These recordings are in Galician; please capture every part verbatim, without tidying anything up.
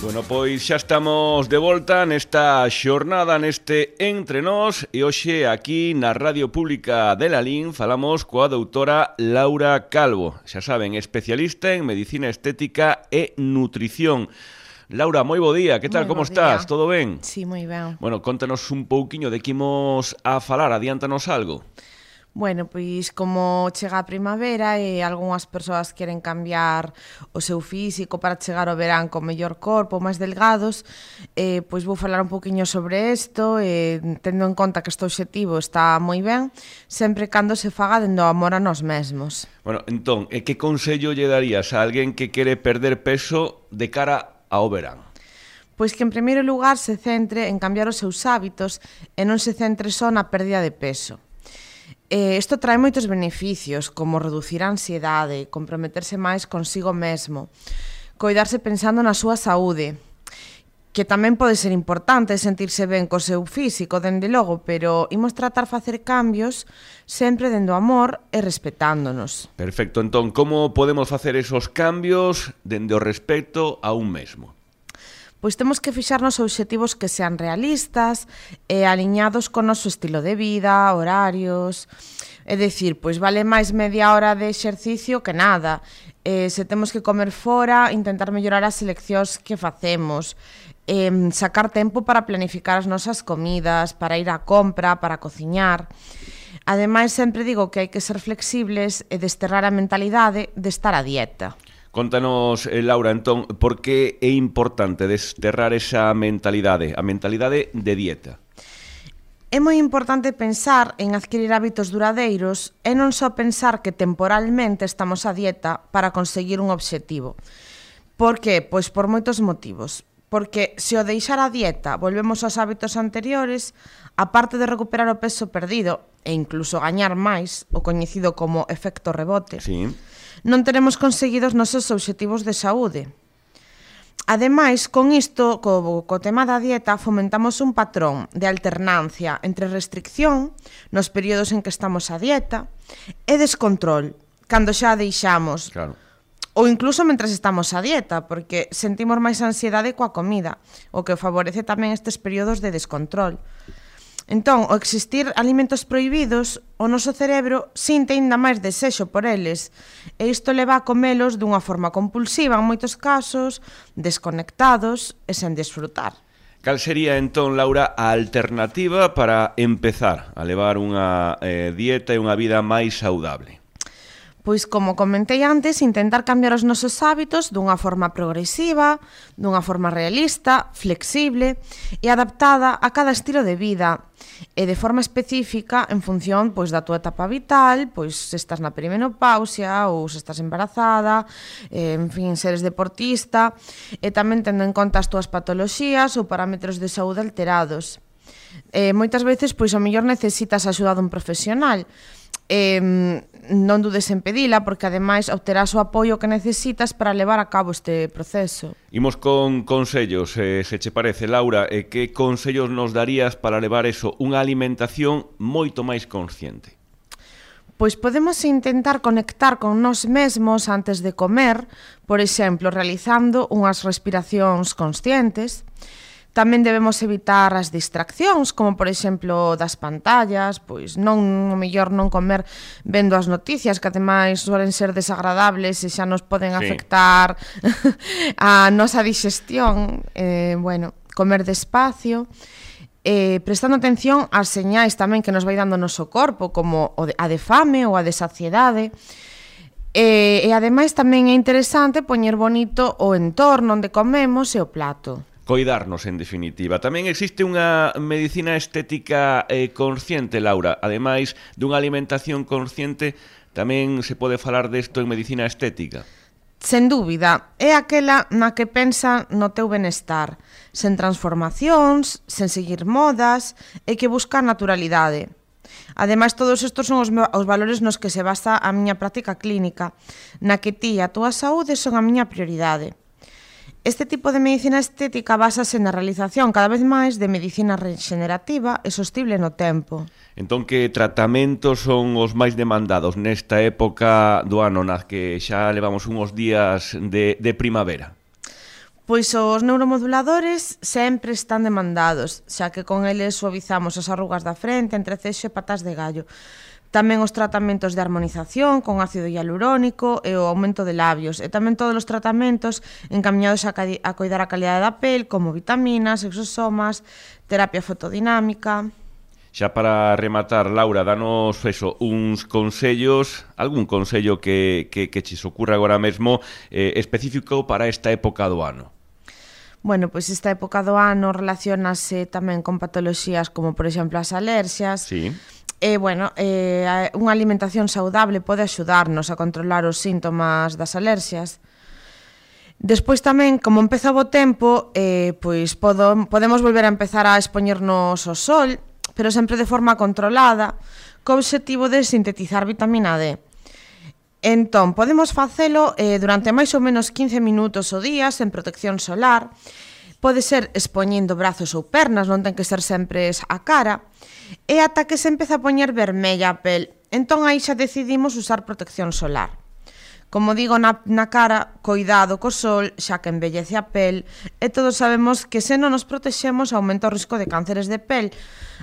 Bueno, pois xa estamos de volta nesta xornada, neste Entre Nós, e hoxe aquí na Radio Pública de Lalín falamos coa doutora Laura Calvo, xa saben, especialista en medicina estética e nutrición. Laura, moi bo día, que tal, Moi como bo estás? día. Todo ben? Sí, moi ben. Bueno, contanos un pouquiño de que imos a falar, adiántanos algo. Bueno, pois como chega a primavera e algunhas persoas queren cambiar o seu físico para chegar ao verán con mellor corpo, máis delgados, eh, pois vou falar un poquinho sobre isto, eh, tendo en conta que este objetivo está moi ben, sempre cando se faga dendo amor a nós mesmos. Bueno, entón, e que consello lle darías a alguén que quere perder peso de cara ao verán? Pois que en primeiro lugar se centre en cambiar os seus hábitos e non se centre só na pérdida de peso. Eh, isto trae moitos beneficios, como reducir a ansiedade, comprometerse máis consigo mesmo, coidarse pensando na súa saúde, que tamén pode ser importante sentirse ben co seu físico, dende logo, pero imos tratar facer cambios sempre dendo amor e respetándonos. Perfecto, entón, como podemos facer esos cambios dende o respeto a un mesmo? Pois temos que fixarnos obxectivos que sean realistas e aliñados con o noso estilo de vida, horarios. É dicir, pois vale máis media hora de exercicio que nada. Eh, se temos que comer fora, intentar mellorar as seleccións que facemos. Eh, sacar tempo para planificar as nosas comidas, para ir á compra, para cociñar. Ademais, sempre digo que hai que ser flexibles e desterrar a mentalidade de estar a dieta. Contanos, eh, Laura, entón, por que é importante desterrar esa mentalidade, a mentalidade de dieta? É moi importante pensar en adquirir hábitos duradeiros e non só pensar que temporalmente estamos a dieta para conseguir un obxectivo. Por que? Pois por moitos motivos. Porque se o deixar a dieta volvemos aos hábitos anteriores, aparte de recuperar o peso perdido e incluso gañar máis, o coñecido como efecto rebote, Sí. non teremos conseguido os nosos obxectivos de saúde. Ademais, con isto, co, co tema da dieta, fomentamos un patrón de alternancia entre restricción, nos períodos en que estamos a dieta, e descontrol, cando xa a deixamos. Claro. Ou incluso mentras estamos a dieta, porque sentimos máis ansiedade coa comida, o que favorece tamén estes períodos de descontrol. Entón, ao existir alimentos prohibidos, o noso cerebro sinte ainda máis desexo por eles, e isto leva a comelos dunha forma compulsiva en moitos casos, desconectados e sen desfrutar. Cal sería, entón, Laura, a alternativa para empezar a levar unha eh, dieta e unha vida máis saudable? Pois, como comentei antes, intentar cambiar os nosos hábitos dunha forma progresiva, dunha forma realista, flexible e adaptada a cada estilo de vida e de forma específica en función pois da túa etapa vital, pois se estás na perimenopausia ou se estás embarazada, eh, en fin, se eres deportista e tamén tendo en conta as túas patoloxías ou parámetros de saúde alterados. Eh, moitas veces, pois, ao mellor necesitas a axuda dun profesional. Eh, non dudes en pedila, porque ademais obterás o apoio que necesitas para levar a cabo este proceso. Imos con consellos, eh, se che parece, Laura, e que consellos nos darías para levar eso, unha alimentación moito máis consciente? Pois podemos intentar conectar con nós mesmos antes de comer, por exemplo, realizando unhas respiracións conscientes. Tamén debemos evitar as distraccións, como por exemplo das pantallas, pois non, o mellor non comer vendo as noticias, que ademais suelen ser desagradables e xa nos poden sí. afectar a nosa digestión. Eh, bueno, comer despacio, eh, prestando atención ás señais tamén que nos vai dando o noso corpo, como a de fame ou a de saciedade. E, e ademais tamén é interesante poñer bonito o entorno onde comemos e o plato. Coidarnos, en definitiva. Tamén existe unha medicina estética eh, consciente, Laura. Ademais dunha alimentación consciente, tamén se pode falar desto en medicina estética. Sen dúbida, é aquela na que pensa no teu benestar, sen transformacións, sen seguir modas e que busca naturalidade. Ademais, todos estes son os, os valores nos que se basa a miña práctica clínica, na que ti e a túa saúde son a miña prioridade. Este tipo de medicina estética basase na realización cada vez máis de medicina regenerativa e sostible no tempo. Entón, que tratamentos son os máis demandados nesta época do ano, nas que xa levamos uns días de, de primavera? Pois os neuromoduladores sempre están demandados, xa que con eles suavizamos as arrugas da frente, entrecexo e patas de gallo. Tamén os tratamentos de armonización con ácido hialurónico e o aumento de labios, e tamén todos os tratamentos encaminhados a, a coidar a calidade da pel, como vitaminas, exosomas, terapia fotodinámica. Xa para rematar, Laura, danos eso, uns consellos, algún consello que, que, que che ocurra agora mesmo eh, específico para esta época do ano. Bueno, pois esta época do ano relacionase tamén con patoloxías como, por exemplo, as alerxias. Sí. E, bueno, eh, unha alimentación saudable pode axudarnos a controlar os síntomas das alerxias. Despois tamén, como empeza o bo tempo, eh, pois podo, podemos volver a empezar a expoñernos ao sol, pero sempre de forma controlada, co obxectivo de sintetizar vitamina D. Entón, podemos facelo eh, durante máis ou menos quince minutos ao día, sen protección solar. Pode ser expoñendo brazos ou pernas, non ten que ser sempre a cara, e ata que se empeza a poñer vermella a pel. Entón, aí xa decidimos usar protección solar. Como digo na, na cara, coidado co sol, xa que embellece a pel, e todos sabemos que se non nos protexemos aumenta o risco de cánceres de pel.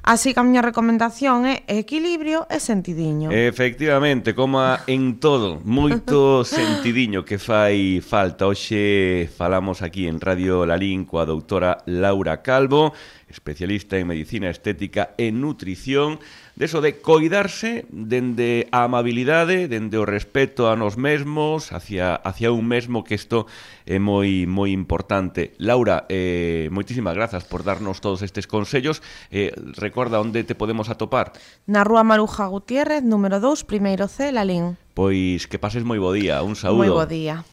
Así que a miña recomendación é equilibrio e sentidiño. Efectivamente, como en todo, moito sentidiño que fai falta. Hoxe falamos aquí en Radio Lalín coa doutora Laura Calvo, especialista en medicina estética e nutrición, deso de coidarse dende a amabilidade, dende o respeto a nos mesmos, hacia, hacia un mesmo, que isto é moi moi importante. Laura, eh, moitísimas grazas por darnos todos estes consellos. Eh, recorda onde te podemos atopar. Na Rúa Maruja Gutiérrez, número dous, primeiro C, Lalín. Pois que pases moi bo día, un saúdo. Moi bo día.